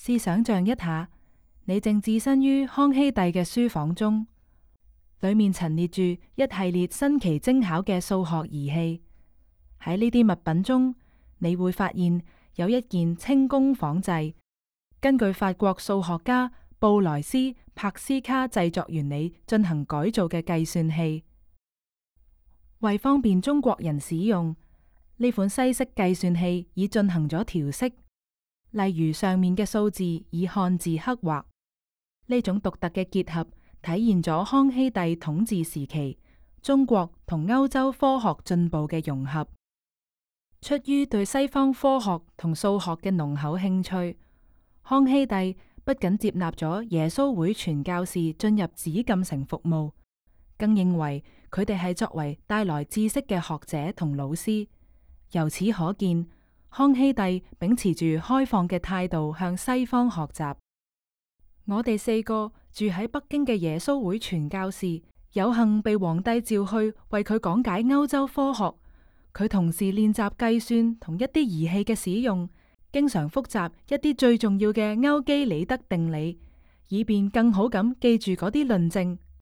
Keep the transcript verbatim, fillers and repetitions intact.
試想象一下，你正置身於康熙帝嘅書房中，裏面陳列住一系列新奇精巧嘅數學儀器。喺呢啲物品中，你會發現有一件清宮仿製，根據法國數學家布萊斯帕斯卡製作原理進行改造嘅計算器。為方便中國人使用，呢款西式計算器已進行咗調色，例如上面嘅數字以漢字刻畫。呢種獨特嘅結合體現咗康熙帝統治時期中國同歐洲科學進步嘅融合。出於對西方科學同數學嘅濃厚興趣，康熙帝不僅接納咗耶穌會傳教士進入紫禁城服務，更認為佢哋係作為帶來知識嘅學者同老師。由此可見，康熙帝秉持住開放嘅態度向西方學習。我哋四個住喺北京嘅耶穌會傳教士，有幸被皇帝召去為佢講解歐洲科學。佢同時練習計算同一啲儀器嘅使用，經常複習一啲最重要嘅歐幾里得定理，以便更好咁記住嗰啲論證